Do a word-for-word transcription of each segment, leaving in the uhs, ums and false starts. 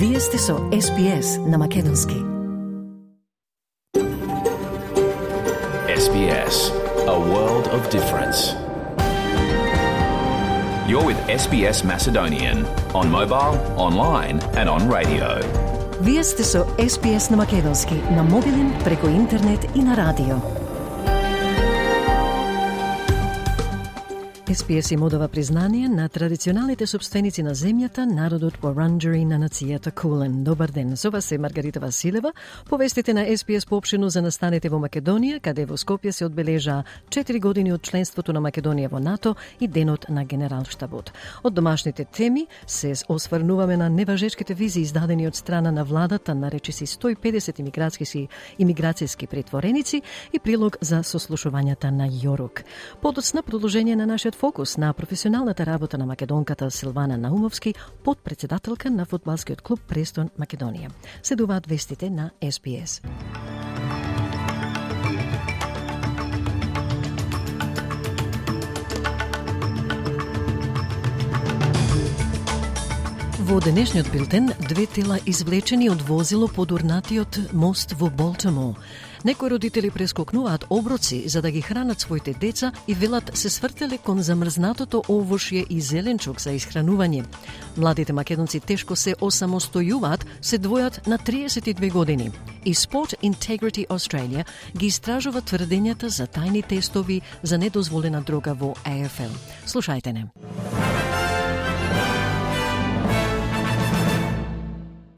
Вие сте со Ес Би Ес на Македонски. Ес Би Ес, a world of difference. You're with Ес Би Ес Macedonian on mobile, online and on radio. Вие сте со Ес Би Ес на Македонски, на мобилен, преку интернет и на радио. Ес Би Ес им одава признание на традиционалните собственици на земјата, народот Вуранџари на нацијата Кулен. Добар ден, со вас е Маргарита Василева. Повестите на Ес Би Ес поопштено за настаните во Македонија, каде во Скопје се одбележа четири години од членството на Македонија во НАТО и денот на Генералштабот. Од домашните теми се осврнуваме на неважечките визии издадени од страна на владата на речиси сто и педесет имиграцијски имиграцијски претвореници и прилог за сослушувањата на Јорук. Подоцна продолжение на нашиот фокус на професионалната работа на македонката Силвана Наумовски, подпредседателка на фудбалскиот клуб Престон Македонија. Следуваат вестите на Ес Би Ес. Во денешниот билтен, две тела извлечени од возило под урнатиот мост во Болтимор. Некои родители прескокнуваат оброци за да ги хранат своите деца и велат се свртеле кон замрзнатото овошје и зеленчук за исхранување. Младите македонци тешко се осамостојуваат, се двојат на триесет и две години. И Sport Integrity Australia ги истражува тврдењата за тајни тестови за недозволена дрога во А Еф Ел. Слушајте не.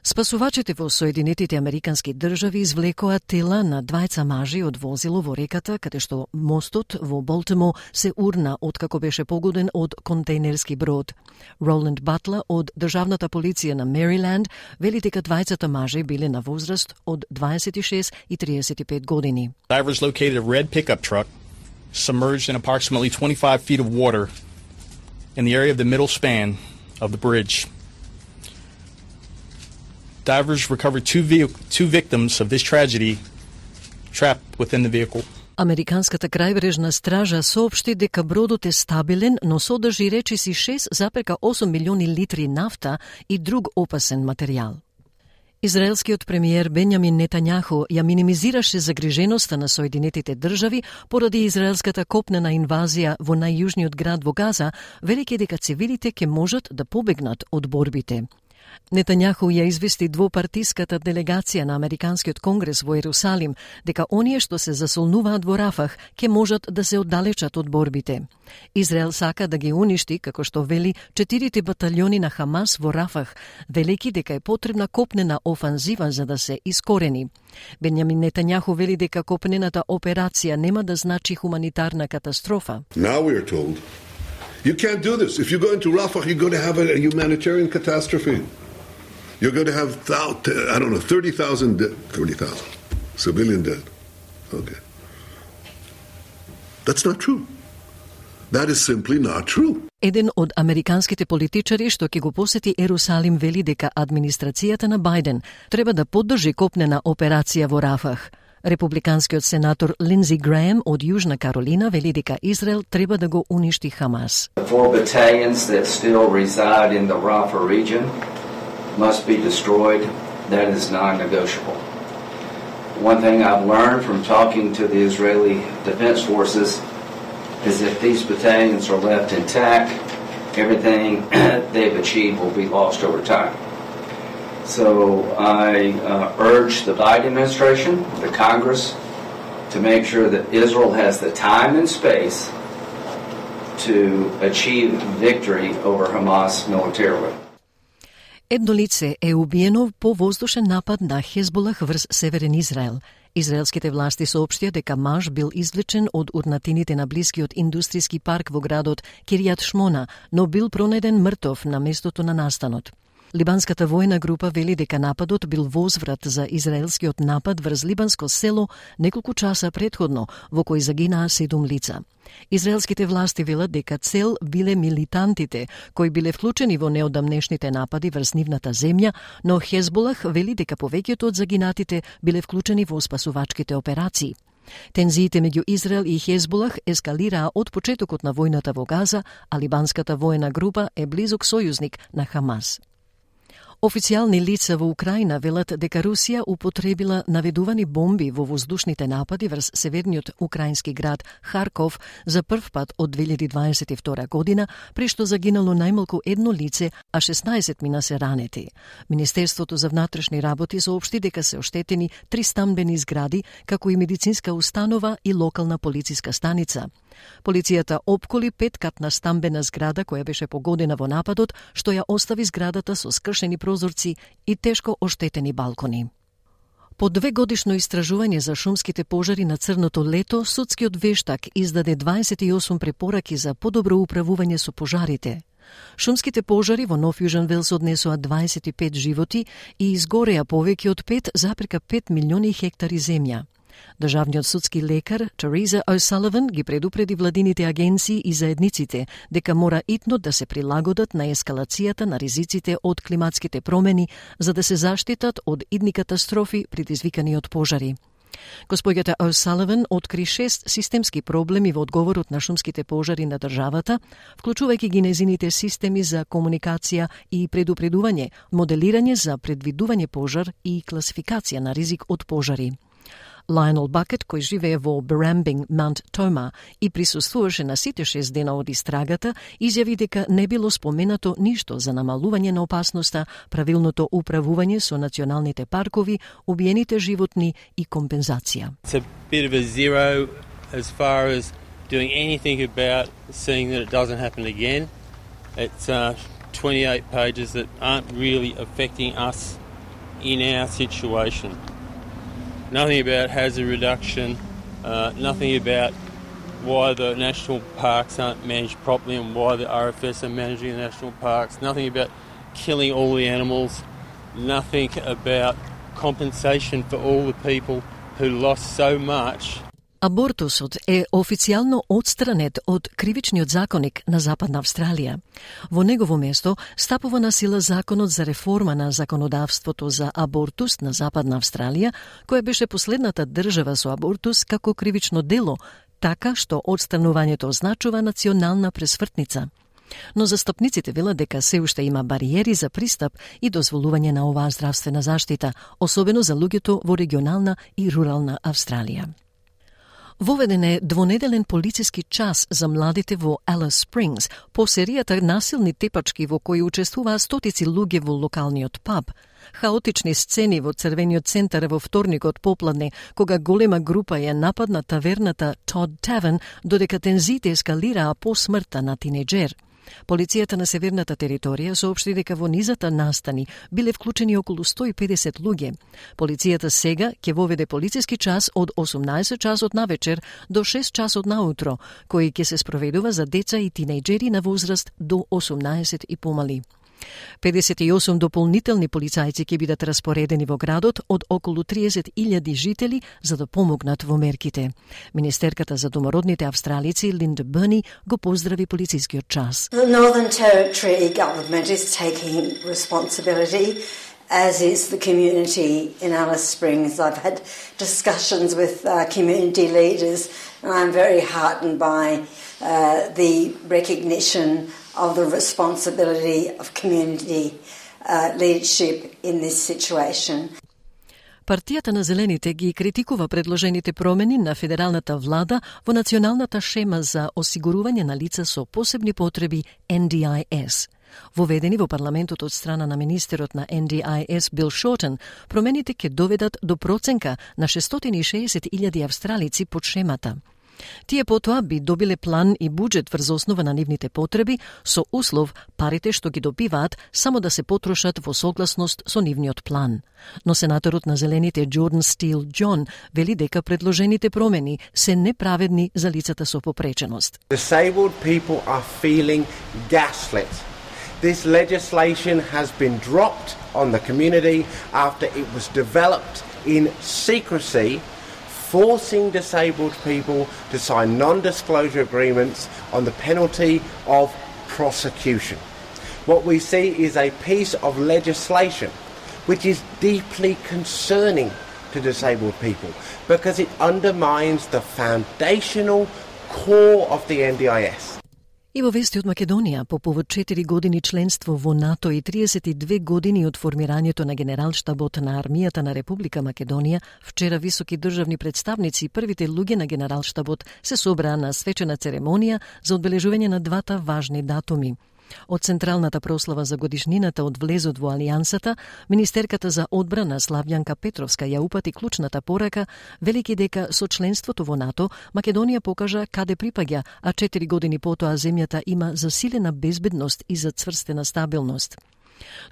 Спасувачите во Соединетите Американски држави извлекоа тела на двајца мажи од возило во реката, каде што мостот во Болтимор се урна откако беше погоден од контейнерски брод. Роланд Батлер од Државната полиција на Мериленд вели дека двајцата мажи биле на возраст од дваесет и шест и триесет и пет години. Divers located a red pickup truck submerged in approximately twenty-five feet of water in the area of the middle span of the bridge. Divers recovered two, ve- two victims of this tragedy trapped within the vehicle. Американската крајбрежна стража соопшти дека бродот е стабилен, но содржи речиси шест зарез осум милиони литри нафта и друг опасен материјал. Израелскиот премиер Бенјамин Нетањаху ја минимизираше загриженоста на Соединетите држави поради израелската копнена инвазија во најјужниот град во Газа, велејќи дека цивилите ќе можат да побегнат од борбите. Нетањаху ја извести двопартиската делегација на Американскиот конгрес во Ерусалим дека оние што се засолнуваат во Рафах ќе можат да се оддалечат од борбите. Израел сака да ги уништи, како што вели, четирите баталјони на Хамас во Рафах, велејќи дека е потребна копнена офанзива за да се искорени. Бенјамин Нетањаху вели дека копнената операција нема да значи хуманитарна катастрофа. Now we are told you can't do this. If you go into Rafah, you're going to have a humanitarian catastrophe. You're going to have, I don't know, thirty thousand, thirty thousand civilian dead. Okay. That's not true. That is simply not true. Еден од американските политичари што ќе го посети Ерусалим вели дека администрацијата на Бајден треба да поддржи копнена операција во Рафах. Републиканскиот сенатор Линдзи Греем од Јужна Каролина вели дека Израел треба да го уништи Хамас. The four battalions that still reside in the Rafah region must be destroyed. That is non-negotiable. One thing I've learned from talking to the Israeli Defense Forces is if these battalions are left intact, everything they've achieved will be lost over time. So I uh, urge the Biden administration, the Congress, to make sure that Israel has the time and space to achieve victory over Hamas militarily. Едно лице е убиено по воздушен напад на Хезболах врз Северен Израел. Израелските власти соопштија дека маж бил извлечен од урнатините на блискиот индустријски парк во градот Киријат Шмона, но бил пронеден мртов на местото на настанот. Либанската војна група вели дека нападот бил возврат за израелскиот напад врз либанско село неколку часа претходно, во кој загинаа седум лица. Израелските власти велат дека цел биле милитантите кои биле вклучени во неодамнешните напади врз нивната земја, но Хезболах вели дека повеќето од загинатите биле вклучени во спасувачките операции. Тензиите меѓу Израел и Хезболах ескалираа од почетокот на војната во Газа, а либанската воена група е близок сојузник на Хамас. Официјални лица во Украина велат дека Русија употребила наведувани бомби во воздушните напади врз северниот украински град Харков за прв пат од две илјади дваесет и втора година, при што загинало најмалку едно лице, а шеснаесет мина се ранети. Министерството за внатрешни работи соопшти дека се оштетени три стамбени згради, како и медицинска установа и локална полициска станица. Полицијата опколи петкатна стамбена зграда која беше погодена во нападот, што ја остави зградата со скршени прозорци и тешко оштетени балкони. По две годишно истражување за шумските пожари на Црното лето, судскиот вештак издаде дваесет и осум препораки за подобро управување со пожарите. Шумските пожари во Нов Јужен Велс однесоа дваесет и пет животи и изгореа повеќе од пет запирка пет милиони хектари земја. Државниот судски лекар Тереза О'Саливан ги предупреди владините агенции и заедниците дека мора итно да се прилагодат на ескалацијата на ризиците од климатските промени за да се заштитат од идни катастрофи предизвикани од пожари. Господјата О'Саливан откри шест системски проблеми во одговорот на шумските пожари на државата, вклучувајќи ги незините системи за комуникација и предупредување, моделирање за предвидување пожар и класификација на ризик од пожари. Лајонел Бакет, кој живее во Барамбинг, Маунт Тома и присуствуваше на сите шест дена од истрагата, изјави дека не било споменато ништо за намалување на опасноста, правилното управување со националните паркови, убиените животни и компензација. It's a bit of a zero as far as doing anything about seeing that it doesn't happen again. It's uh, twenty-eight pages that aren't really affecting us in our situation. Nothing about hazard reduction, uh, nothing about why the national parks aren't managed properly and why the R F S are managing the national parks, nothing about killing all the animals, nothing about compensation for all the people who lost so much. Абортусот е официјално отстранет од кривичниот законник на Западна Австралија. Во негово место стапува на сила законот за реформа на законодавството за абортус на Западна Австралија, која беше последната држава со абортус како кривично дело, така што отстранувањето означува национална пресвртница. Но застапниците велат дека се уште има бариери за пристап и дозволување на оваа здравствена заштита, особено за луѓето во регионална и рурална Австралија. Воведен е двонеделен полициски час за младите во Алис Спрингс по серијата насилни тепачки во кои учествуваа стотици луѓе во локалниот паб. Хаотични сцени во Црвениот центар во вторникот попладне, кога голема група ја нападна таверната Todd Tavern, додека тензиите ескалираа по смртта на тинеџер. Полицијата на северната територија соопшти дека во низата настани биле вклучени околу сто и педесет луѓе. Полицијата сега ќе воведе полициски час од осумнаесет часот навечер до шест часот наутро, кој ќе се спроведува за деца и тинејџери на возраст до осумнаесет и помали. педесет и осум дополнителни полицајци ќе бидат распоредени во градот од околу триесет илјади жители за да помогнат во мерките. Министерката за домородните австралици Линда Берни го поздрави полицискиот час. The Northern Territory government is taking responsibility, as is the community in Alice Springs. I've had discussions with uh, community leaders, and I'm very heartened by uh, the recognition of the responsibility of community uh, leadership in this situation. Партијата на Зелените ги критикува предложените промени на федералната влада во националната шема за осигурување на лица со посебни потреби Н Д I S. Воведени во парламентот од страна на министерот на Н Д I S Бил Шортен, промените ќе доведат до проценка на шестстотини и шеесет илјади австралици под шемата. Тие потоа би добиле план и буџет врз основа на нивните потреби, со услов парите што ги добиваат само да се потрошат во согласност со нивниот план. Но сенаторот на Зелените Джордан Стил Џон вели дека предложените промени се неправедни за лицата со попреченост. Disabled people are feeling gaslit. This legislation has been dropped on the community after it was developed in secrecy, forcing disabled people to sign non-disclosure agreements on the penalty of prosecution. What we see is a piece of legislation which is deeply concerning to disabled people because it undermines the foundational core of the N D I S. И во вести од Македонија, по повод четири години членство во НАТО и триесет и две години од формирањето на Генералштабот на армијата на Република Македонија, вчера високи државни представници и првите луѓе на Генералштабот се собраа на свечена церемонија за одбележување на двата важни датуми. Од централната прослава за годишнината од влезот во Алијансата, министерката за одбрана Славјанка Петровска ја упати клучната порака, велики дека со членството во НАТО Македонија покажа каде припаѓа, а четири години потоа земјата има засилена безбедност и зацврстена стабилност.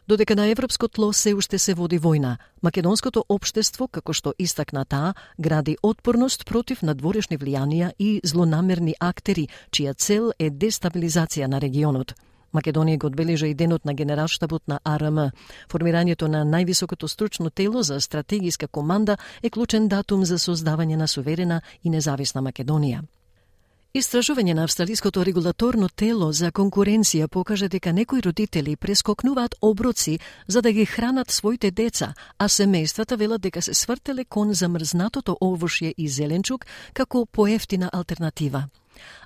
Додека на европско тло се уште се води војна, македонското општество, како што истакна таа, гради отпорност против надворешни влијанија и злонамерни актери, чија цел е дестабилизација на регионот. Македонија го одбележа и денот на Генералштабот на А Р М. Формирањето на највисокото стручно тело за стратегиска команда е клучен датум за создавање на суверена и независна Македонија. Истражување на австралиското регулаторно тело за конкуренција покажа дека некои родители прескокнуваат оброци за да ги хранат своите деца, а семејствата велат дека се свртеле кон замрзнатото овошје и зеленчук како поевтина алтернатива.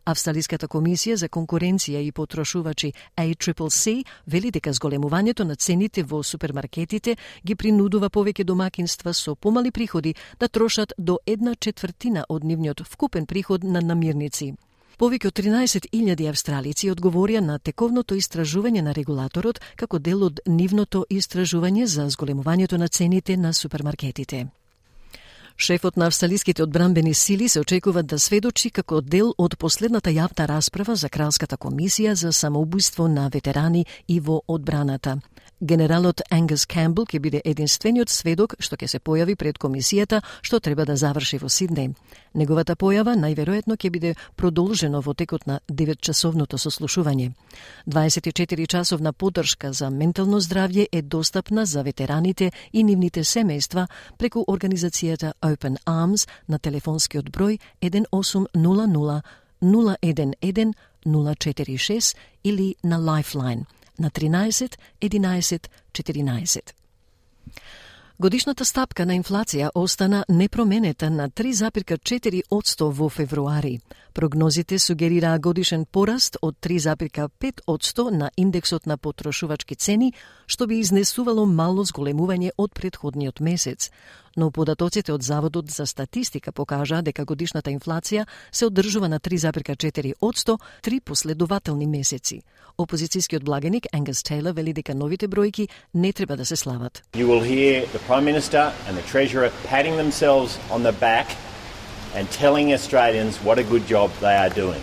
Австралиската комисија за конкуренција и потрошувачи А Ц Ц С вели дека зголемувањето на цените во супермаркетите ги принудува повеќе домакинства со помали приходи да трошат до една четвртина од нивниот вкупен приход на намирници. Повеќе од тринаесет илјади австралици одговорија на тековното истражување на регулаторот како дел од нивното истражување за зголемувањето на цените на супермаркетите. Шефот на австралиските одбранбени сили се очекува да сведочи како дел од последната јавна расправа за Кралската комисија за самоубиство на ветерани и во одбраната. Генералот Ангус Камбел ќе биде единствениот сведок што ќе се појави пред комисијата што треба да заврши во Сиднеј. Неговата појава најверојатно ќе биде продолжено во текот на деветчасовното сослушување. дваесет и четири часовна поддршка за ментално здравје е достапна за ветераните и нивните семејства преку организацијата Open Arms на телефонскиот број еден осум нула нула нула еден еден нула четири шест или на Lifeline на тринаесет единаесет четиринаесет. Годишната стапка на инфлација остана непроменета на три запирка четири одсто во февруари. Прогнозите сугерираа годишен пораст од три запирка пет одсто на индексот на потрошувачки цени, што би изнесувало мало зголемување од претходниот месец. Но податоците од Заводот за статистика покажаа дека годишната инфлација се одржува на три запирка четири одсто три последователни месеци. Опозицијскиот благеник Ангус Тейлор вели дека новите бројки не треба да се слават. You will hear the Prime Minister and the Treasurer patting themselves on the back and telling Australians what a good job they are doing.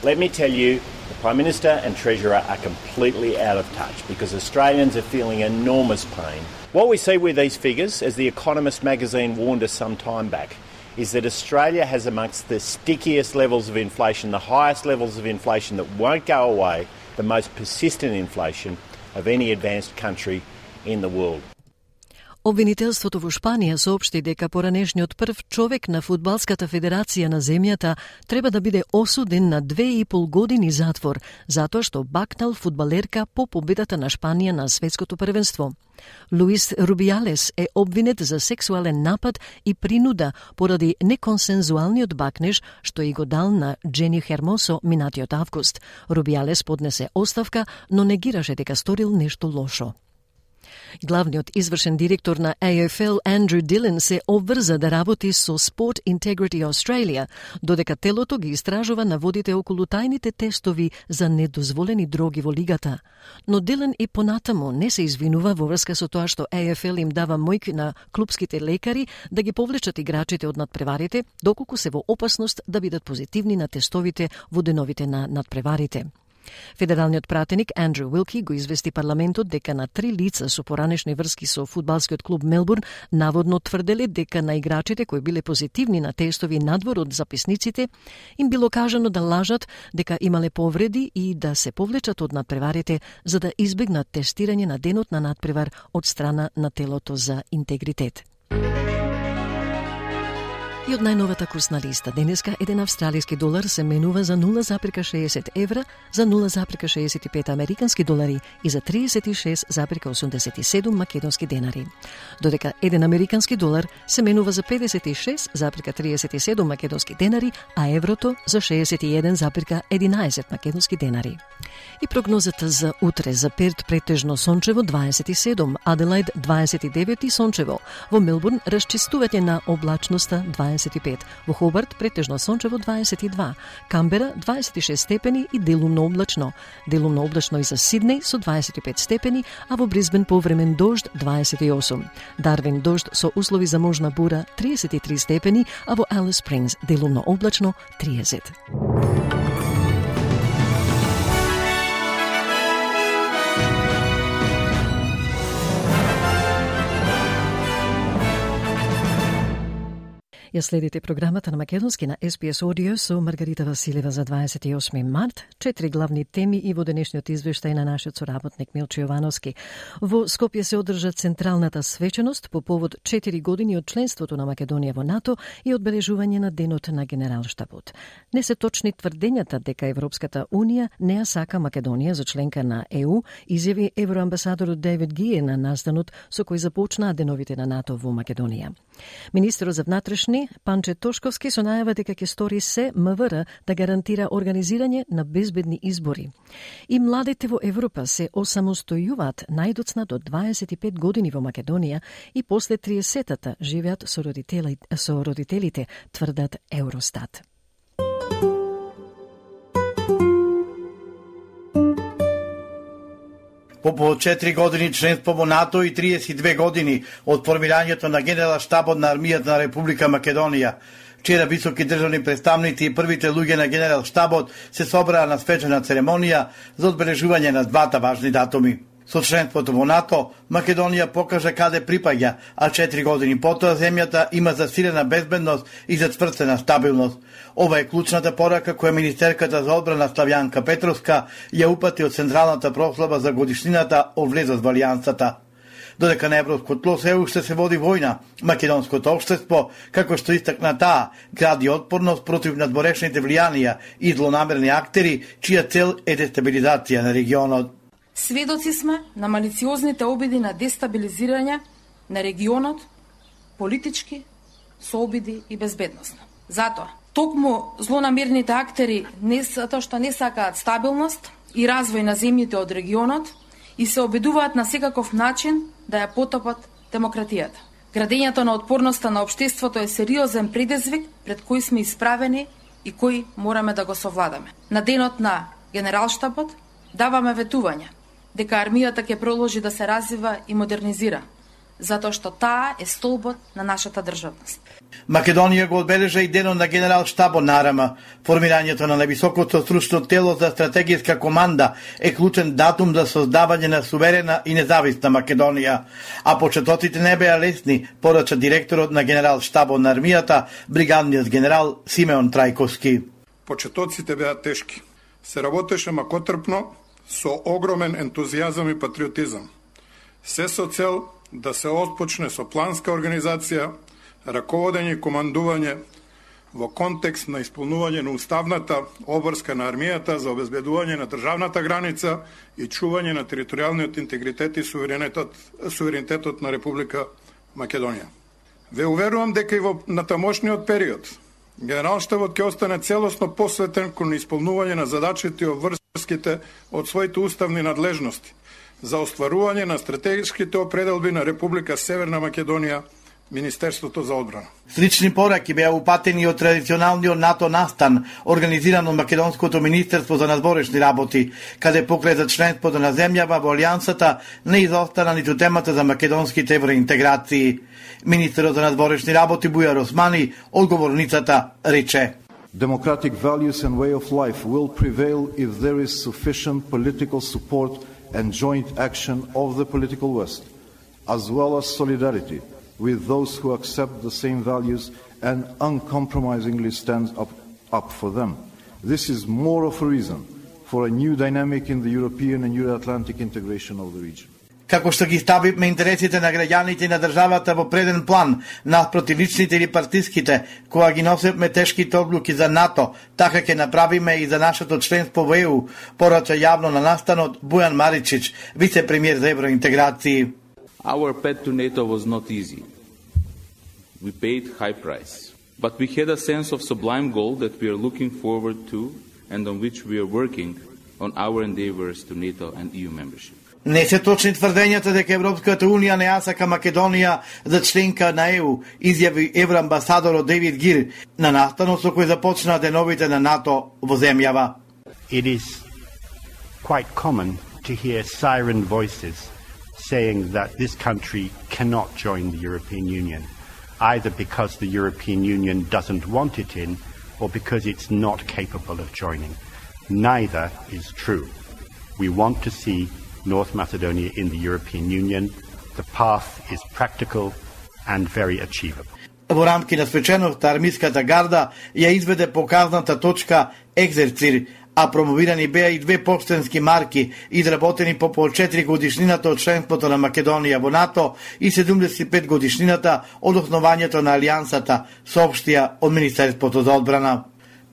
Let me tell you, the Prime Minister and Treasurer are completely out of touch because Australians are feeling enormous pain. What we see with these figures, as The Economist magazine warned us some time back, is that Australia has amongst the stickiest levels of inflation, the highest levels of inflation that won't go away, the most persistent inflation of any advanced country in the world. Обвинителството во Шпанија соопшти дека поранешниот прв човек на Фудбалската федерација на земјата треба да биде осуден на две и пол години затвор, затоа што бакнал фудбалерка по победата на Шпанија на светското првенство. Луис Рубијалес е обвинет за сексуален напад и принуда поради неконсензуалниот бакнеж што и го дал на Джени Хермосо минатиот август. Рубијалес поднесе оставка, но негираше дека сторил нешто лошо. Главниот извршен директор на А Ф Л Андрю Дилан се обврза да работи со Sport Integrity Australia, додека телото ги истражува наводите околу тајните тестови за недозволени дроги во лигата. Но Дилан и понатаму не се извинува во врска со тоа што А Ф Л им дава мојки на клупските лекари да ги повлечат играчите од надпреварите, доколку се во опасност да бидат позитивни на тестовите во деновите на надпреварите. Федералниот пратеник Андрю Уилки го извести парламентот дека на три лица со поранешни врски со фудбалскиот клуб Мелбурн наводно тврделе дека на играчите кои биле позитивни на тестови надвор од записниците им било кажано да лажат дека имале повреди и да се повлечат од надпреварите за да избегнат тестирање на денот на надпревар од страна на телото за интегритет. И од најновата курсна листа, денеска еден австралиски долар се менува за нула зарез шеесет евра, за нула зарез шеесет и пет американски долари и за триесет и шест зарез осумдесет и седум македонски денари. Додека еден американски долар се менува за педесет и шест зарез триесет и седум македонски денари, а еврото за шеесет и еден зарез единаесет македонски денари. И прогнозата за утре: за Перт претежно сончево дваесет и седум, Аделаид дваесет и девет и сончево, во Мелбурн расчистување на облачноста дваесет и пет, во Хобарт претежно сончево дваесет и два, Камбера дваесет и шест степени и делумно облачно, делумно облачно и за Сиднеј со дваесет и пет степени, а во Брисбен повремен дожд дваесет и осум, Дарвин дожд со услови за можна бура триесет и три степени, а во Алис Спрингс делумно облачно триесет. Ја следите програмата на македонски на Ес Би Ес Audio со Маргарита Василева за дваесет и осми март. Четири главни теми и во денешниот извештај на нашиот соработник Милчо Јовановски. Во Скопје се одржа централната свеченост по повод четири години од членството на Македонија во НАТО и одбележување на денот на Генералштабот. Не се точни тврдењата дека Европската Унија не ја сака Македонија за членка на Е У, изјави евроамбасадорот Дейвид Гие на настанот со кој започнаа деновите на НАТО во Македонија. Министерот за внатрешни Панче Тошковски со најава дека ќе стори се М В Р да гарантира организирање на безбедни избори. И младите во Европа се осамостојуваат најдоцна до дваесет и пет години во Македонија и после триесетата живеат со родителите, со родителите, тврдат Евростат. По повод четири години членство во НАТО и триесет и две години од формирањето на Генералштабот на армијата на Република Македонија, вчера високи државни представници и првите луѓе на Генералштабот се собраа на свечена церемонија за одбележување на двата важни датуми. Со членството во НАТО, Македонија покажа каде припаѓа, а четири години потоа земјата има засилена безбедност и зацврстена стабилност. Ова е клучната порака која министерката за одбрана Славјанка Петровска ја упати од централната прослава за годишнината од влезот во Алијансата. Додека на европско тло се уште се води војна, македонското општество, како што истакна таа, гради отпорност против надворешните влијанија и злонамерни актери, чија цел е дестабилизација на регионот. Сведоци сме на малициозните обиди на дестабилизирање на регионот, политички, со обиди и безбедносно. Затоа, токму злонамерните актери не затоа што не сакаат стабилност и развој на земјите од регионот и се обидуваат на секаков начин да ја потопат демократијата. Градењето на отпорноста на општеството е сериозен предизвик пред кој сме исправени и кој мораме да го совладаме. На денот на Генералштабот даваме ветување дека армијата ќе продолжи да се развива и модернизира, затоа што таа е столбот на нашата државност. Македонија го одбележа и денот на Генералштабот на АРМ. Формирањето на највисокото стручно тело за стратегиска команда е клучен датум за создавање на суверена и независна Македонија, а почетоците не беа лесни, порача директорот на Генералштабот на армијата, бригадниот генерал Симеон Трајковски. Почетоците беа тешки. Се работеше макотрпно, со огромен ентузијазам и патриотизам. Се со цел да се отпочне со планска организација, раководење и командување во контекст на исполнување на уставната обврска на армијата за обезбедување на државната граница и чување на територијалниот интегритет и суверенитет, суверенитетот на Република Македонија. Ве уверувам дека и во натамошниот период Генералштабот ќе остане целосно посветен кон исполнување на задачите и обврските од своите уставни надлежности за остварување на стратешките определби на Република Северна Македонија, Министерството за одбрана. Слични пораки беа упатени од традиционалниот НАТО настан, организиран од Македонското Министерство за надворешни работи, каде покрај за членството на земјава во Алијансата не изостана ниту темата за македонските евроинтеграции. Министерот за надворешни работи Бујар Османи, одговорницата, рече: Democratic values and way of life will prevail if there is sufficient political support and joint action of the political West, as well as solidarity with those who accept the same values and uncompromisingly stand up, up for them. This is more of a reason for a new dynamic in the European and Euro-Atlantic integration of the region. како што ги ставиме интересите на граѓаните и на државата во преден план, наспроти личните или партиските, кога ги носиме тешките одлуки за НАТО, така ќе направиме и за нашето членство во Е У, порача јавно на настанот Бујан Маричич, вице-премиер за евроинтеграции. Our path to NATO was not easy. We paid high price. But we had a sense of sublime goal that we are looking forward to and on which we are working on our endeavors to NATO and E U membership. Не се точни тврдењата дека Европската Унија не ја сака Македонија за членка на Е У, изјави евроамбасадорот Дейвид Гир на настанот со кој започнаа деновите на НАТО во земјава. It is quite common to hear siren voices saying that this country cannot join the European Union, either because the European Union doesn't want it in or because it's not capable of joining. Neither is true. We want to see North Macedonia in the European Union. The path is practical and very achievable. Во рамки на свеченоста армиската гарда ја изведе показната точка Екзерцир, а промовирани беа и две поштенски марки, изработени по пол четири годишнината од членството на Македонија во НАТО и седумдесет и пет годишнината од основањето на Алијансата, соопштија од Министерството за одбрана.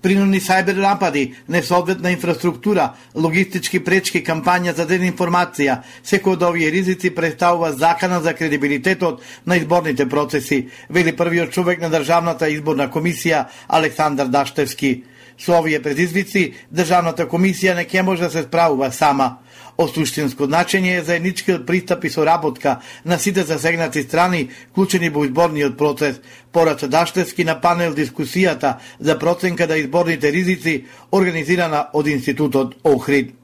Принудни сајбер напади, несоодветна инфраструктура, логистички пречки, кампања за дезинформација, секој од овие ризици представува закана за кредибилитетот на изборните процеси, вели првиот човек на Државната изборна комисија Александар Даштевски. Со овие предизвици, Државната комисија не ќе може да се справува сама. Од суштинско значење е заедничкиот пристап и соработка на сите засегнати страни, вклучени во изборниот процес, порача Даштевски на панел дискусијата за проценка на изборните ризици, организирана од Институтот Охрид.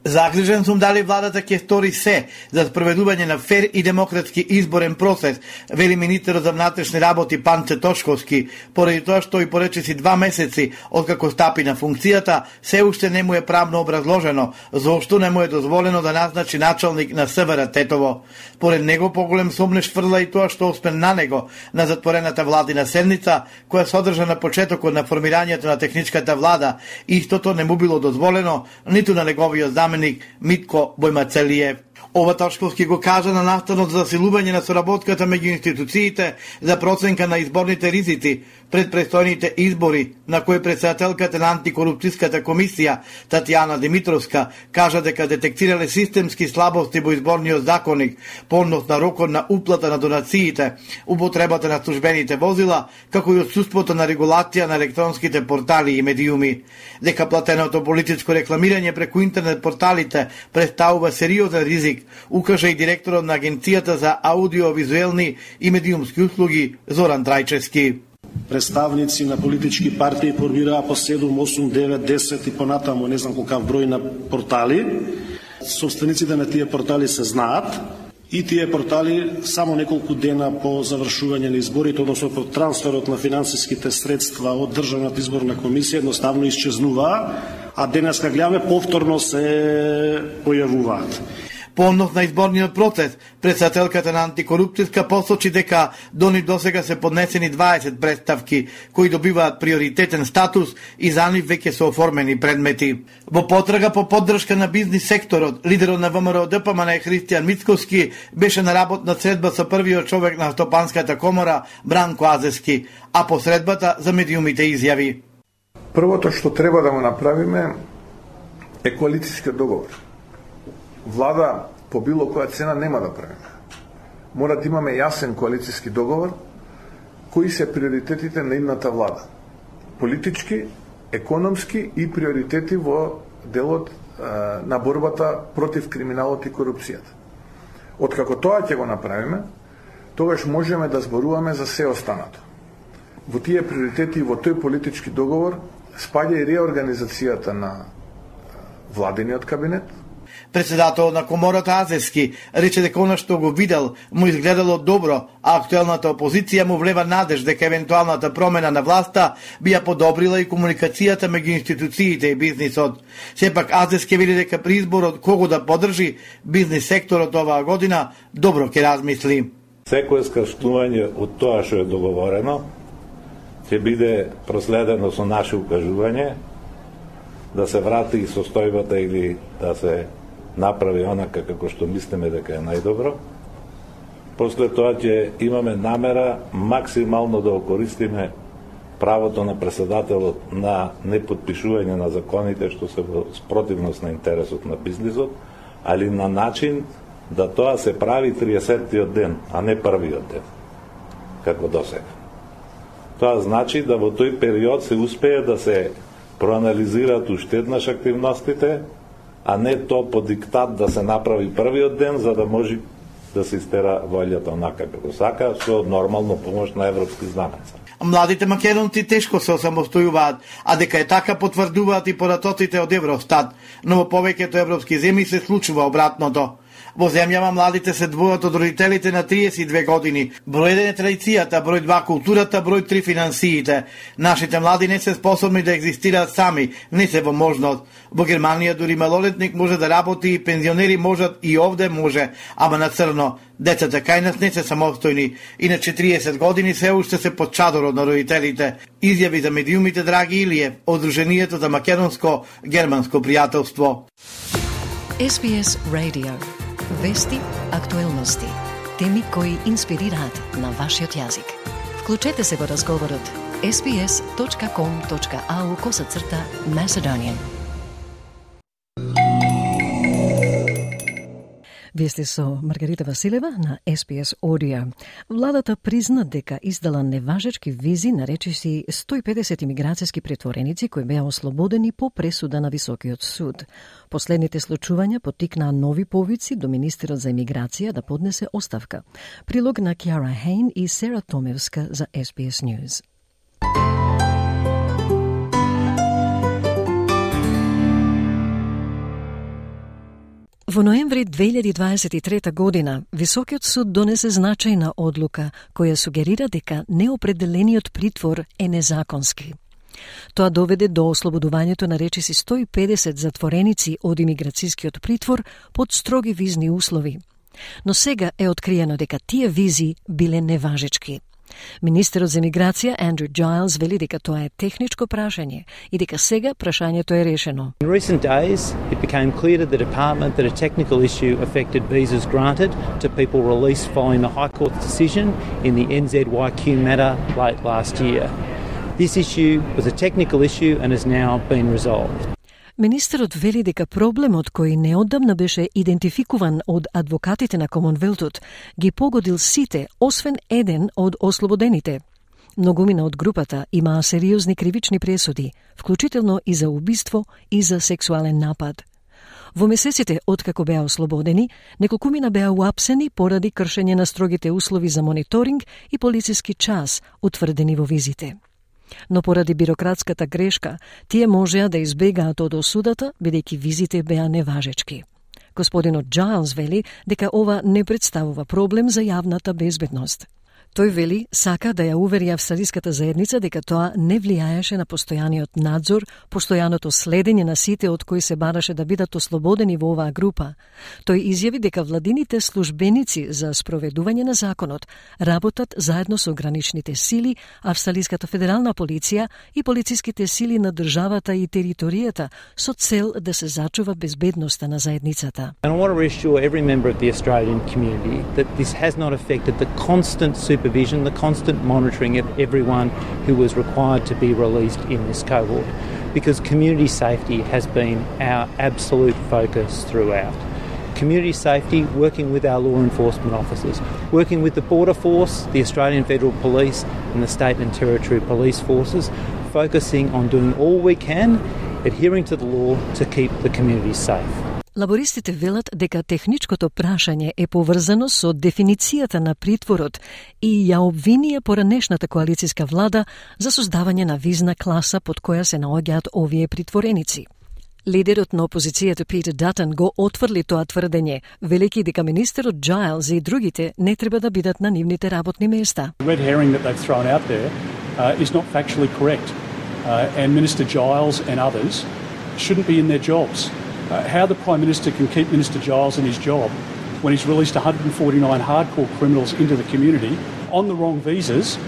Загрижен сум дали владата ќе стори се за спроведување на фер и демократски изборен процес, вели министерот за внатрешни работи Панче Тошковски, поради тоа што и поречиси два месеци откако стапи на функцијата, се уште не му е правно образложено зошто не му е дозволено да назначи началник на С В Р Тетово. Поред него поголем сомнеш фрла и тоа што освен на него на затворената владина седница, која содржа на почетокот на формирањето на техничката влада, истото не му било дозволено ниту на неговиот заменик Митко Бојмацелиев. Ова Тошковски го кажа на настанот за засилување на соработката меѓу институциите за проценка на изборните ризици пред престојните избори, на кој председателката на антикорупцијската комисија Татјана Димитровска кажа дека детектирале системски слабости во изборниот законник, понос на рокот на уплата на донациите, употребата на службените возила, како и отсуството на регулација на електронските портали и медиуми. Дека платеното политичко рекламирање преку интернет порталите представува сериозен ризик, укажа и директорот на Агенцијата за аудиовизуелни и медиумски услуги Зоран Трајчевски. Представници на политички партии формираа по седум, осум, девет, десет и понатаму не знам колкав број на портали. Собствениците на тие портали се знаат и тие портали само неколку дена по завршување на изборите, односно по трансферот на финансиските средства од Државната изборна комисија едноставно исчезнуваа, а денеска гледаме повторно се појавуваат. По однос на изборниот процес, председателката на антикорупцијска посочи дека до нив досега се поднесени дваесет представки кои добиваат приоритетен статус и за нив веќе се оформени предмети. Во потрага по поддршка на бизнис секторот, лидерот на ВМРО Д П М Н Христијан Мицковски беше на работна средба со првиот човек на Стопанската комора Бранко Азески, а по средбата за медиумите изјави. Првото што треба да го направиме е коалицијски договор. Влада по било која цена нема да правиме. Мора да имаме јасен коалицијски договор кои се приоритетите на идната влада. Политички, економски и приоритети во делот а, на борбата против криминалот и корупцијата. Откако тоа ќе го направиме, тогаш можеме да зборуваме за се останато. Во тие приоритети и во тој политички договор спаѓа и реорганизацијата на владиниот кабинет. Председател на комората Азески рече дека она што го видел му изгледало добро, а актуелната опозиција му влева надеж дека евентуалната промена на власта би ја подобрила и комуникацијата меѓу институциите и бизнисот. Сепак Азески вели дека при изборот кого да поддржи, бизнис секторот оваа година добро ќе размисли. Секое скрштување од тоа што е договорено ќе биде проследено со наше укажување да се врати состојбата или да се направи онака како што мислиме дека е најдобро. После тоа ќе имаме намера максимално да окористиме правото на председателот на неподпишување на законите што се во спротивност на интересот на бизнисот, али на начин да тоа се прави триесеттиот ден, а не првиот ден, како досега. Тоа значи да во тој период се успее да се проанализираат уште еднаш активностите, а не то по диктат да се направи првиот ден, за да може да се истера волјата онака како сака, со нормално помош на европски знамеца. Младите македонци тешко се осамостојуваат, а дека е така потврдуваат и податоците од Евростат, но во повеќето европски земји се случува обратното. Во земјава младите се двојат од родителите на триесет и две години. Број еден е традицијата, број два културата, број три финансиите. Нашите млади не се способни да екзистираат сами, не се во можност. Во Германија дури малолетник може да работи и пензионери можат и овде може, ама на црно. Децата кај нас не се самостојни, иначе триесет години се уште се под чадорот на родителите. Изјави за медиумите Драги Илиев, од Друженијето за македонско-германско пријателство. Ес Би Ес Radio. Вести, актуелности, теми кои инспирираат на вашиот јазик. Вклучете се во разговорот ес би ес точка ком точка ей ю косацрта Macedonian. Вие сте со Маргарита Василева на Ес Би Ес Audio. Владата призна дека издала неважечки визи на речиси сто и педесет имиграцијски претвореници кои беа ослободени по пресуда на Високиот суд. Последните случувања поттикнаа нови повици до министерот за имиграција да поднесе оставка. Прилог на Кјара Хейн и Сера Томевска за Ес Би Ес News. Во ноември две илјади дваесет и трета година, Високиот суд донесе значајна одлука која сугерира дека неопределениот притвор е незаконски. Тоа доведе до ослободувањето на речиси сто и педесет затвореници од имиграцијскиот притвор под строги визни услови. Но сега е откриено дека тие визи биле неважечки. Министерот за имиграција Андрю Giles вели дека тоа е техничко прашање и дека сега прашањето е решено. In recent days, it became clear to the department that a technical issue affected visas granted to people released following the High Court's decision in the Н З Y Q matter late last year. This issue was a technical issue and has now been resolved. Министерот вели дека проблемот кој неодамна беше идентификуван од адвокатите на Комонвелтот ги погодил сите, освен еден од ослободените. Многумина од групата имаа сериозни кривични пресуди, вклучително и за убиство и за сексуален напад. Во месеците откако беа ослободени, неколкумина беа уапсени поради кршење на строгите услови за мониторинг и полициски час утврдени во визите. Но поради бирократската грешка, тие можеа да избегаат од осудата, бидејќи визите беа неважечки. Господинот Giles вели дека ова не представува проблем за јавната безбедност. Тој вели сака да ја увери австралиската заедница дека тоа не влијаеше на постојаниот надзор, постојаното следење на сите од кои се бараше да бидат ослободени во оваа група. Тој изјави дека владините службеници за спроведување на законот работат заедно со граничните сили, австралиската федерална полиција и полициските сили на државата и територијата со цел да се зачува безбедноста на заедницата. And I want to reassure every member of the Australian community that this has not affected the constant supervision, the constant monitoring of everyone who was required to be released in this cohort, because community safety has been our absolute focus throughout. Community safety, working with our law enforcement officers, working with the Border Force, the Australian Federal Police and the State and Territory Police Forces, focusing on doing all we can, adhering to the law to keep the community safe. Лабористите велат дека техничкото прашање е поврзано со дефиницијата на притворот и ја обвинија поранешната коалицијска влада за создавање на визна класа под која се наоѓаат овие притвореници. Лидерот на опозицијата Питер Датон го отврли тоа тврдење, велики дека министерот Giles и другите не треба да бидат на нивните работни места. The red herring that they've thrown out there uh, is not factually correct, uh, and Minister Giles and others shouldn't be in their jobs. Uh, how the Prime Minister can keep Minister Giles in his job when he's released one hundred forty-nine hardcore criminals into the community on the wrong visas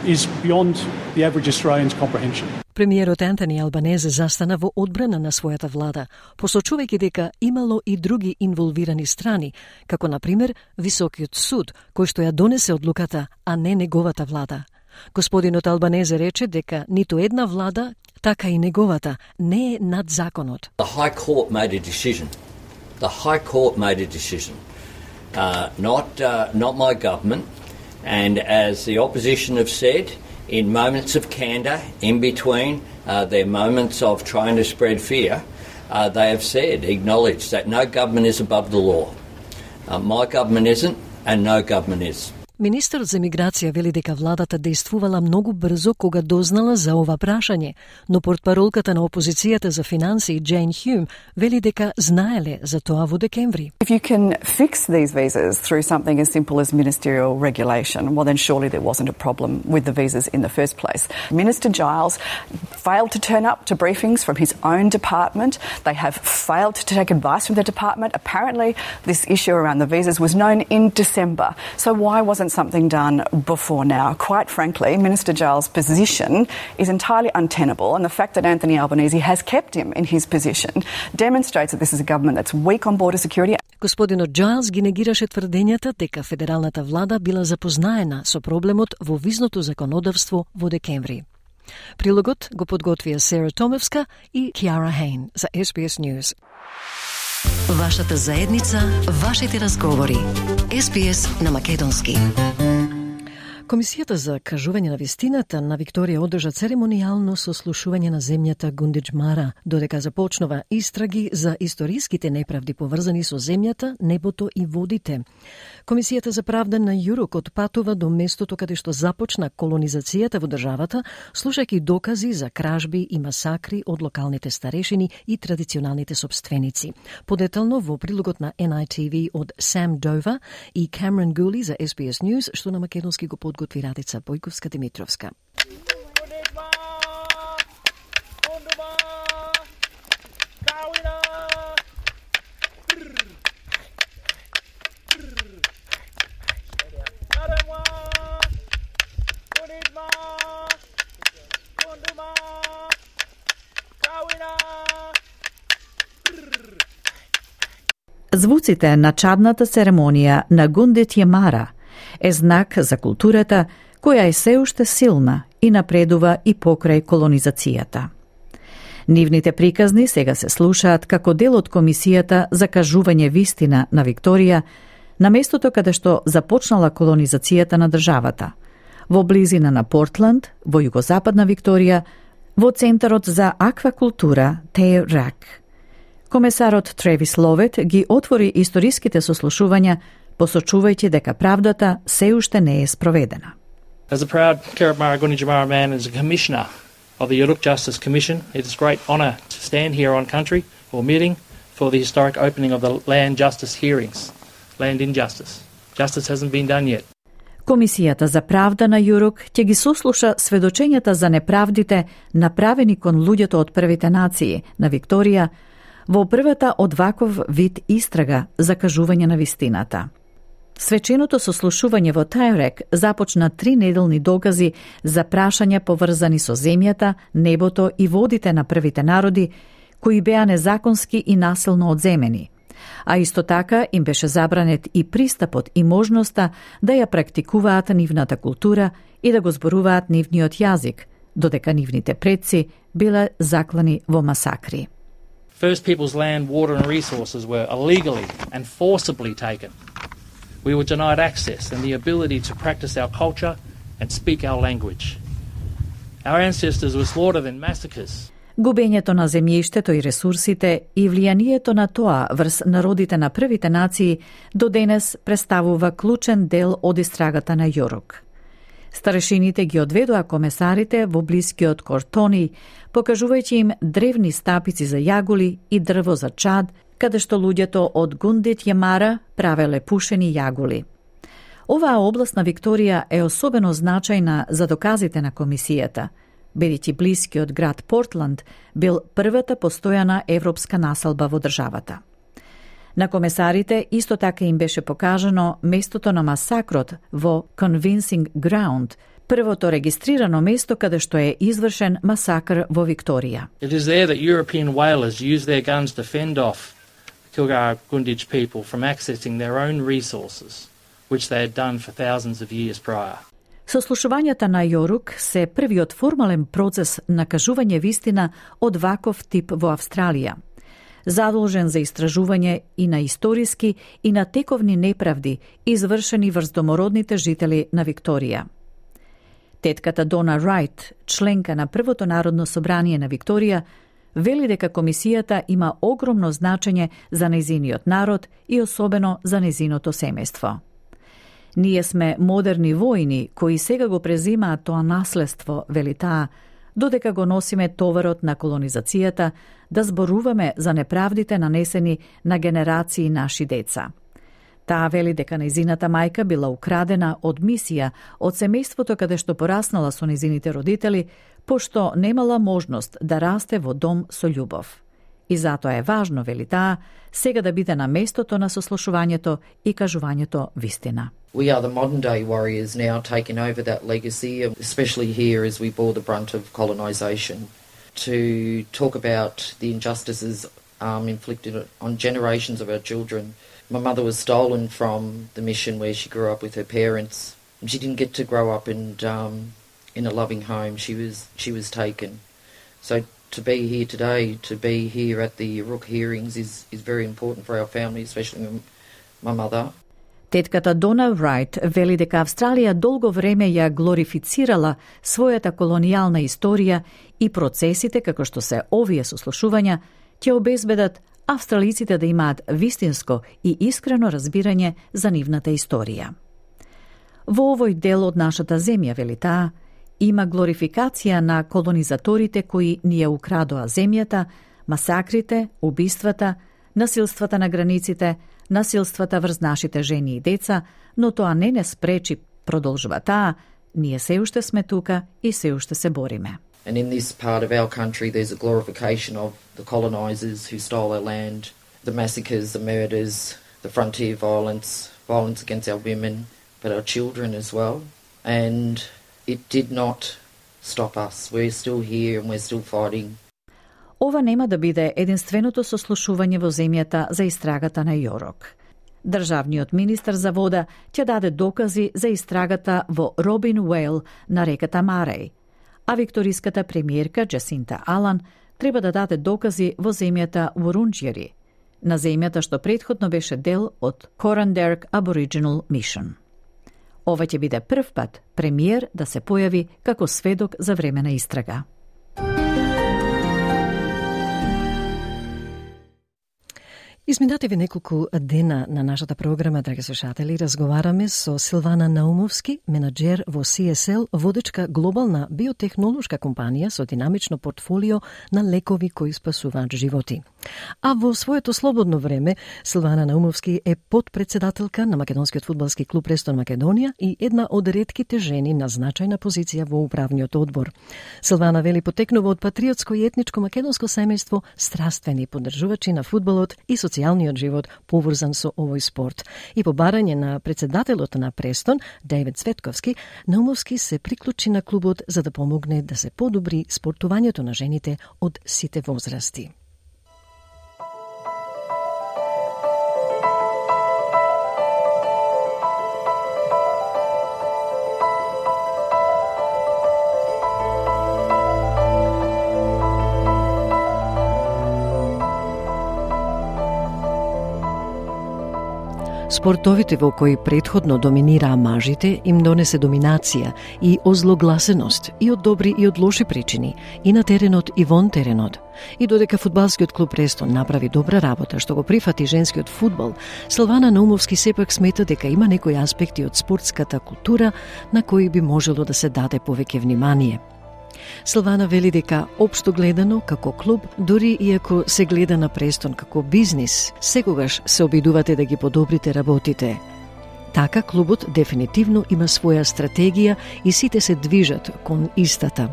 is beyond the average Australian's comprehension. Премиерот Антони Албанезе застана во одбрана на својата влада, посочувајќи дека имало и други инволвирани страни, како на пример Високиот суд, кој што ја донесе одлуката, а не неговата влада. Господинот Албанезе рече дека ниту една влада, така и неговата, не е над законот. The High Court made a decision. The High Court made a decision. Uh, not, uh, not my government. And as the opposition have said, in moments of candour, in between uh, their moments of trying to spread fear, uh, they have said, acknowledged that no government is above the law. Uh, my government isn't, and no government is. Министерот за миграција вели дека владата действувала многу брзо кога дознала за ова прашање, но портпаролката на опозицијата за финанси Джейн Хюм вели дека знаеле за тоа во декември. If you can fix these visas through something as simple as ministerial regulation, well then surely there wasn't a problem with the visas in the first place. Minister Giles failed to turn up to briefings from his own department. They have failed to take advice from the department. Apparently this issue around the visas was known in December. So why wasn't something done before now? Quite frankly, Minister Giles' position is entirely untenable, and the fact that Anthony Albanese has kept him in his position demonstrates that this is a government that's weak on border security. Господинот Джайлс ги негираше тврдењата дека федералната влада била запознаена со проблемот во визното законодавство во декември. Прилогот го подготвија Сера Томевска и Киара Хейн за Ес Би Ес News. Вашата заедница, вашите разговори. Ес Би Ес на македонски. Комисијата за кажување на вистината на Викторија одржа церемонијално сослушување на земјата Гундиџмара, додека започнува истраги за историските неправди поврзани со земјата, небото и водите. Комисијата за правда на Јурок отпатува до местото каде што започна колонизацијата во државата, слушајќи докази за кражби и масакри од локалните старешини и традиционалните собственици. Подетално во прилогот на Ен Ај Ти Ви од Сам Дова и Камерон Гули за Ес Би Ес News, што на македонски го подготви Радица Бојковска-Димитровска. Звуците на чадната церемонија на Гундиџмара е знак за културата која е се уште силна и напредува и покрај колонизацијата. Нивните приказни сега се слушаат како дел од Комисијата за кажување вистина на Викторија на местото каде што започнала колонизацијата на државата, во близина на Портланд, во југозападна Викторија, во Центарот за аквакултура Тејрак. Комесарот Тревис Ловет ги отвори историските сослушувања, посочувајќи дека правдата се уште не е спроведена. As a proud Karatmara Gunditjmara man and as a commissioner of the Yurok Justice Commission, it is a great honour to stand here on country or meeting for the historic opening of the land justice hearings. Land injustice. Justice hasn't been done yet. Комисијата за правда на Јурок ќе ги сослуша сведочењата за неправдите направени кон луѓето од првите нации на Викторија во првата од ваков вид истрага за кажување на вистината. Свеченото сослушување во Тајрек започна три неделни докази за прашања поврзани со земјата, небото и водите на првите народи, кои беа незаконски и насилно одземени. А исто така им беше забранет и пристапот и можноста да ја практикуваат нивната култура и да го зборуваат нивниот јазик, додека нивните предци биле заклани во масакри. First People's land, water and resources were illegally and forcibly taken. We were denied access and the ability to practice our culture and speak our language. Our ancestors were slaughtered in massacres. Губењето на земјиштето и ресурсите и влијанието на тоа врз народите на првите нации до денес представува клучен дел од истрагата на Јорок. Старешините ги одведоа комесарите во блискиот Кортони, покажувајќи им древни стапици за јаголи и дрво за чад, каде што луѓето од Гундиџмара правеле пушени јаголи. Оваа област на Викторија е особено значајна за доказите на комисијата, бидејќи блискиот град Портланд бил првата постојана европска населба во државата. На комесарите исто така им беше покажано местото на масакрот во Convincing Ground, првото регистрирано место каде што е извршен масакр во Викторија. It is there that European whalers use their guns to fend off Kilgara Gunditj people from accessing their own resources, which they had done for thousands of years prior. Сослушувањата на Јорук се првиот формален процес на кажување вистина од ваков тип во Австралија, задолжен за истражување и на историски и на тековни неправди извршени врз домородните жители на Викторија. Тетката Дона Рајт, членка на Првото народно собрание на Викторија, вели дека комисијата има огромно значење за нејзиниот народ и особено за нејзиното семејство. Ние сме модерни војни кои сега го презимаат тоа наследство, вели таа, додека го носиме товарот на колонизацијата да зборуваме за неправдите нанесени на генерации наши деца. Таа вели дека нејзината мајка била украдена од мисија од семејството каде што пораснала со нејзините родители, пошто немала можност да расте во дом со љубов. И затоа е важно, вели таа, сега да биде на местото на сослушувањето и кажувањето вистина. We are the modern day warriors now taking over that legacy, especially here as we bore the brunt of colonisation, to talk about the injustices um, inflicted on generations of our children. My mother was stolen from the mission where she grew up with her parents. She didn't get to grow up and um, in a loving home. She was she was taken. So to be here today, to be here at the Rook hearings is is very important for our family, especially my mother. Тетката Дона Рајт вели дека Австралија долго време ја глорифицирала својата колонијална историја и процесите како што се овие сослушувања ќе обезбедат австралиците да имаат вистинско и искрено разбирање за нивната историја. Во овој дел од нашата земја, вели таа, има глорификација на колонизаторите кои ни ја украдоа земјата, масакрите, убиствата, насилствата на границите, насилствата врз нашите жени и деца, но тоа не не спречи, продолжува таа, ние се уште сме тука и се уште се бориме. And in this part of our country there's a glorification of the colonisers who stole our land, the massacres, the murders, the frontier violence, violence against our women, but our children as well. And it did not stop us. We're still here and we're still fighting. Ова нема да биде единственото сослушување во земјата за истрагата на Јорок. Државниот министер за вода ќе даде докази за истрагата во Робин Уейл на реката Мареј, а викториската премиерка Джасинта Алан треба да даде докази во земјата Вурунџјери, на земјата што претходно беше дел од Coranderrk Aboriginal Mission. Ова ќе биде прв пат премиер да се појави како сведок за време на истрага. Изминативе неколку дена на нашата програма, драги слушатели, разговараме со Силвана Наумовски, менаџер во Си Ес Ел, водечка глобална биотехнолошка компанија со динамично портфолио на лекови кои спасуваат животи. А во своето слободно време, Силвана Наумовски е подпредседателка на македонскиот фудбалски клуб Престон Македонија и една од ретките жени на значајна позиција во управниот одбор. Силвана вели потекнува од патриотско и етничко македонско семејство, страствени поддржувачи на фудбалот и социјалниот живот поврзан со овој спорт. И по барање на председателот на Престон, Дејвид Цветковски, Наумовски се приклучи на клубот за да помогне да се подобри спортувањето на жените од сите возрасти. Спортовите во кои претходно доминираа мажите им донесе доминација и озлогласеност и од добри и од лоши причини, и на теренот и вон теренот. И додека фудбалскиот клуб Престон направи добра работа што го прифати женскиот фудбал, Силвана Наумовски сепак смета дека има некои аспекти од спортската култура на кои би можело да се даде повеќе внимание. Силвана вели дека, општо гледано, како клуб, дури иако се гледа на Престон како бизнис, секогаш се обидувате да ги подобрите работите. Така, клубот дефинитивно има своја стратегија и сите се движат кон истата.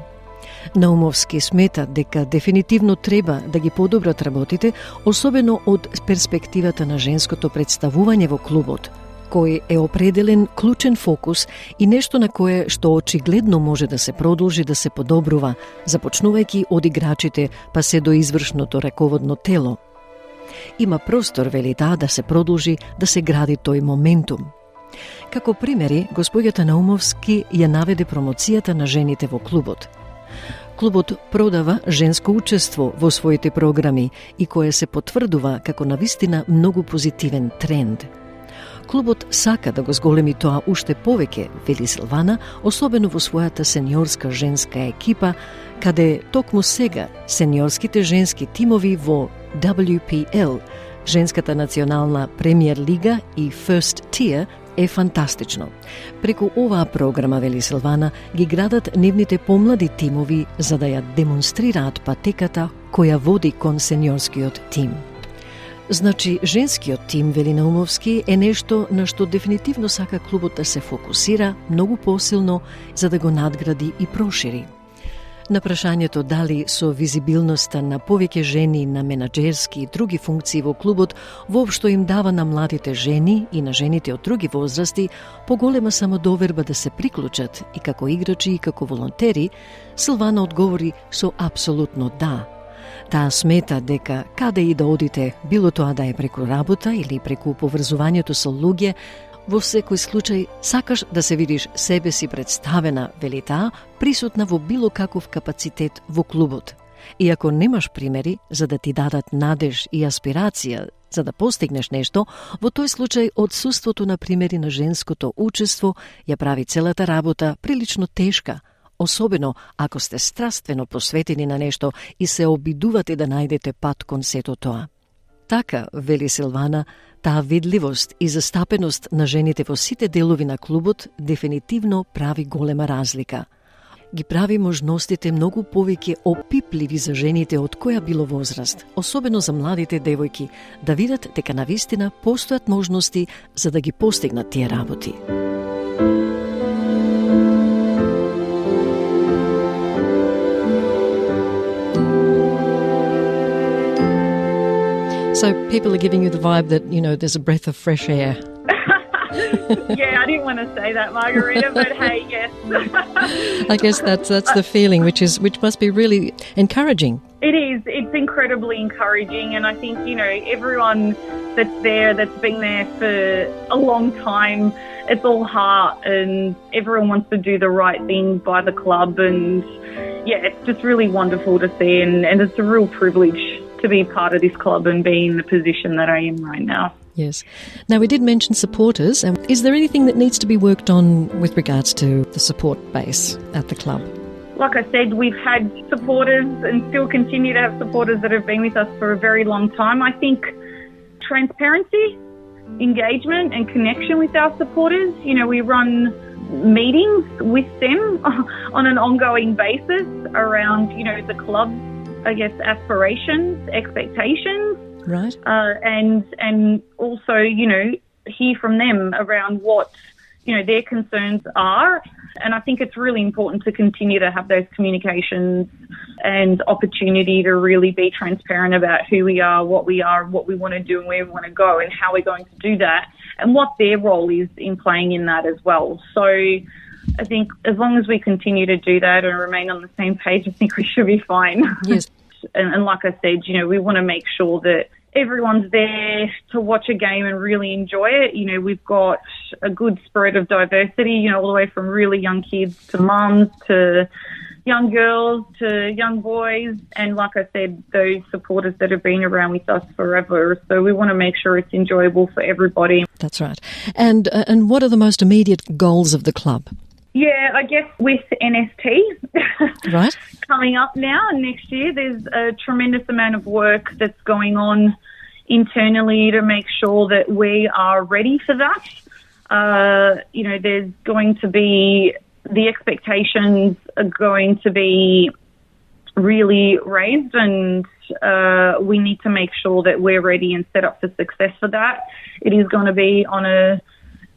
Наумовски смета дека дефинитивно треба да ги подобрат работите, особено од перспективата на женското представување во клубот, кој е определен клучен фокус и нешто на кое што очигледно може да се продолжи да се подобрува, започнувајќи од играчите па се до извршното раководно тело. Има простор, вели таа, да се продолжи да се гради тој моментум. Како примери, господјата Наумовски ја наведе промоцијата на жените во клубот. Клубот продава женско учество во своите програми и кое се потврдува како навистина многу позитивен тренд. Клубот сака да го зголеми тоа уште повеќе, вели Силвана, особено во својата сениорска женска екипа, каде токму сега сениорските женски тимови во дабљу пи ел, женската национална премиер лига и First Tier е фантастично. Преку оваа програма, вели Силвана, ги градат нивните помлади тимови за да ја демонстрираат патеката која води кон сениорскиот тим. Значи, женскиот тим, вели Наумовски, е нешто на што дефинитивно сака клубот да се фокусира многу посилно за да го надгради и прошири. На прашањето дали со визибилноста на повеќе жени на менаџерски и други функции во клубот воопшто им дава на младите жени и на жените од други возрасти поголема самодоверба да се приклучат и како играчи и како волонтери, Силвана одговори со апсолутно да. Таа смета дека каде и да одите, било тоа да е преку работа или преку поврзувањето со луѓе, во секој случај сакаш да се видиш себе си представена, вели таа, присутна во било каков капацитет во клубот. И ако немаш примери за да ти дадат надеж и аспирација за да постигнеш нешто, во тој случај одсуството на примери на женското учество ја прави целата работа прилично тешка, особено ако сте страствено посветени на нешто и се обидувате да најдете пат кон сето тоа. Така, вели Силвана, таа видливост и застапеност на жените во сите делови на клубот дефинитивно прави голема разлика. Ги прави можностите многу повеќе опипливи за жените од која било возраст, особено за младите девојки, да видат дека навистина постојат можности за да ги постигнат тие работи. So people are giving you the vibe that, you know, there's a breath of fresh air. Yeah, I didn't want to say that, Margarita, but hey, yes. I guess that's that's the feeling, which is which must be really encouraging. It is. It's incredibly encouraging, and I think, you know, everyone that's there, that's been there for a long time, it's all heart, and everyone wants to do the right thing by the club, and yeah, it's just really wonderful to see, and, and it's a real privilege to be part of this club and be in the position that I am right now. Yes. Now, we did mention supporters. And is there anything that needs to be worked on with regards to the support base at the club? Like I said, we've had supporters and still continue to have supporters that have been with us for a very long time. I think transparency, engagement and connection with our supporters. You know, we run meetings with them on an ongoing basis around, you know, the club's, I guess, aspirations, expectations. Right. Uh, and and also, you know, hear from them around what, you know, their concerns are. And I think it's really important to continue to have those communications and opportunity to really be transparent about who we are, what we are, what we want to do and where we want to go and how we're going to do that and what their role is in playing in that as well. So I think as long as we continue to do that and remain on the same page, I think we should be fine. Yes. and, and like I said, you know, we want to make sure that everyone's there to watch a game and really enjoy it. You know, we've got a good spread of diversity, you know, all the way from really young kids to mums to young girls to young boys. And like I said, those supporters that have been around with us forever. So we want to make sure it's enjoyable for everybody. That's right. And uh, and what are the most immediate goals of the club? Yeah, I guess with N S T right. coming up now and next year, there's a tremendous amount of work that's going on internally to make sure that we are ready for that. Uh, you know, there's going to be, the expectations are going to be really raised and uh, we need to make sure that we're ready and set up for success for that. It is going to be on a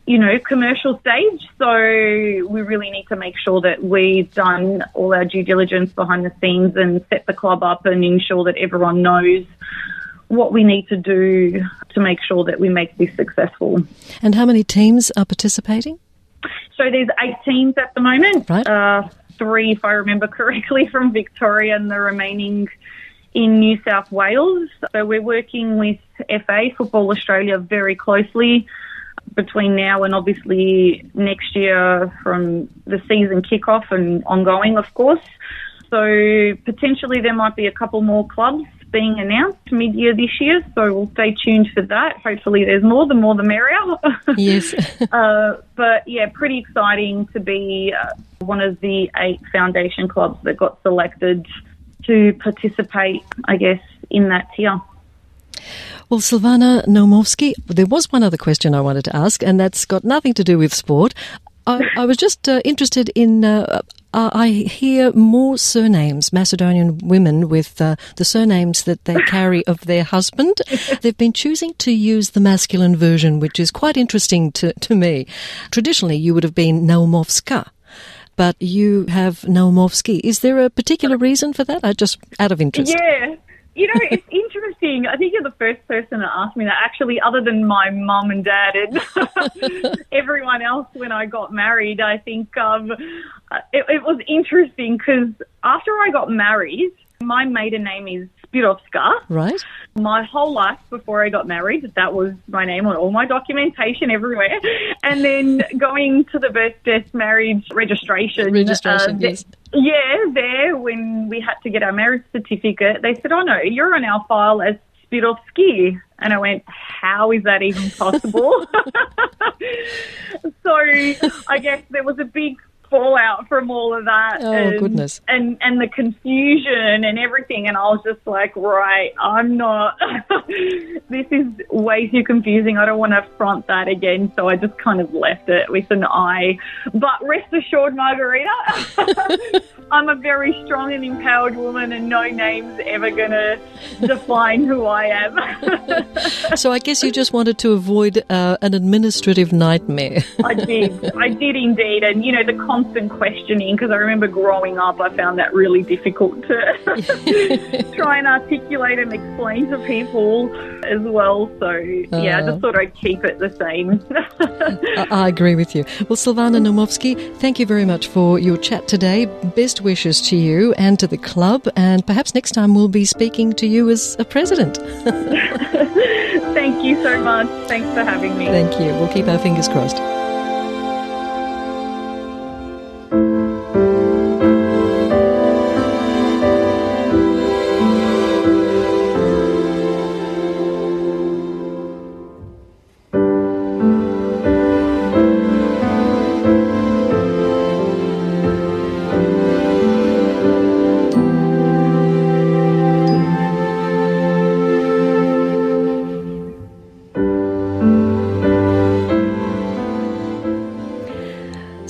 you know, commercial stage. So we really need to make sure that we've done all our due diligence behind the scenes and set the club up and ensure that everyone knows what we need to do to make sure that we make this successful. And how many teams are participating? So there's eight teams at the moment. Right. Uh, three, if I remember correctly, from Victoria and the remaining in New South Wales. So we're working with F A, Football Australia, very closely between now and obviously next year from the season kickoff and ongoing, of course. So potentially there might be a couple more clubs being announced mid-year this year, so we'll stay tuned for that. Hopefully there's more, the more the merrier. Yes. uh, but yeah, pretty exciting to be uh, one of the eight foundation clubs that got selected to participate, I guess, in that tier. Well, Silvana Naumovski, there was one other question I wanted to ask, and that's got nothing to do with sport. I, I was just uh, interested in, uh, uh, I hear more surnames, Macedonian women with uh, the surnames that they carry of their husband. They've been choosing to use the masculine version, which is quite interesting to, to me. Traditionally, you would have been Naumovska, but you have Naumovski. Is there a particular reason for that? I just, out of interest. Yeah. You know, it's interesting. I think you're the first person to ask me that, actually, other than my mum and dad and everyone else when I got married. I think um, it, it was interesting because after I got married, my maiden name is Spirovska. Right. My whole life before I got married, that was my name on all my documentation everywhere. And then going to the birth, death, marriage registration. Registration, uh, th- yes. Yeah, there, when we had to get our marriage certificate, they said, oh, no, you're on our file as Spirovski. And I went, how is that even possible? So I guess there was a big fallout from all of that. Oh, and, goodness. And, and the confusion and everything. And I was just like, right, I'm not, this is way too confusing. I don't want to front that again. So I just kind of left it with an I. But rest assured, Margarita, I'm a very strong and empowered woman and no name's ever going to define who I am. So I guess you just wanted to avoid uh, an administrative nightmare. I did. I did indeed. And, you know, the constant questioning, because I remember growing up, I found that really difficult to try and articulate and explain to people as well. So, yeah, uh, I just thought I'd keep it the same. I, I agree with you. Well, Silvana Naumovski, thank you very much for your chat today. Best wishes to you and to the club, and perhaps next time we'll be speaking to you as a president. Thank you so much. Thanks for having me. Thank you. We'll keep our fingers crossed.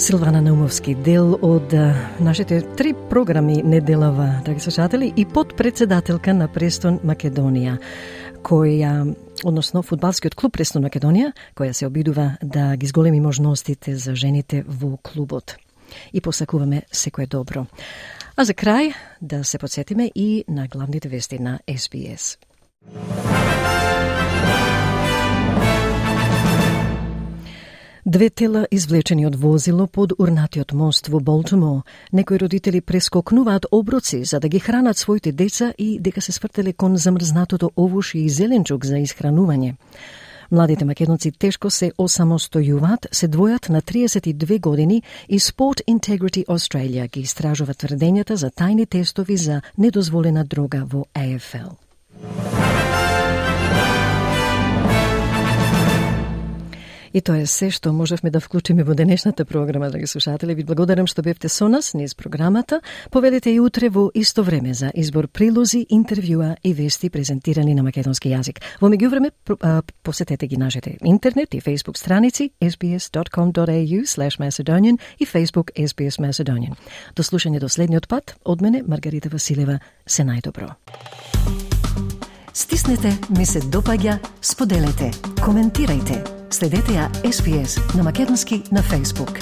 Силвана Наумовски, дел од нашите три програми неделава, драги слушатели, и подпредседателка на Престон Македонија, која, односно фудбалскиот клуб Престон Македонија, која се обидува да ги зголеми можностите за жените во клубот. И посакуваме секое добро. А за крај да се подсетиме и на главните вести на Ес Би Ес. Две тела извлечени од возило под урнатиот мост во Болтимо. Некои родители прескокнуваат оброци за да ги хранат своите деца и дека се свртеле кон замрзнатото овош и зеленчук за исхранување. Младите македонци тешко се осамостојуваат, се двојат на триесет и две години и Sport Integrity Australia ги истражува тврдењата за тајни тестови за недозволена дрога во А Еф Ел. И тоа е се што можевме да вклучиме во денешната програма, драги слушатели. Ви благодарам што бевте со нас низ програмата. Повелете и утре во исто време за избор прилози, интервјуа и вести презентирани на македонски јазик. Во меѓувреме посетете ги нашите интернет и Facebook страници ес би ес dot com dot a u slash macedonian и Facebook Ес Би Ес Macedonian. До слушање до следниот пат. Од мене Маргарита Василева. Се најдобро. Стиснете, ми се допаѓа, споделете, коментирајте. Следете ја Ес Би Ес на македонски на Facebook.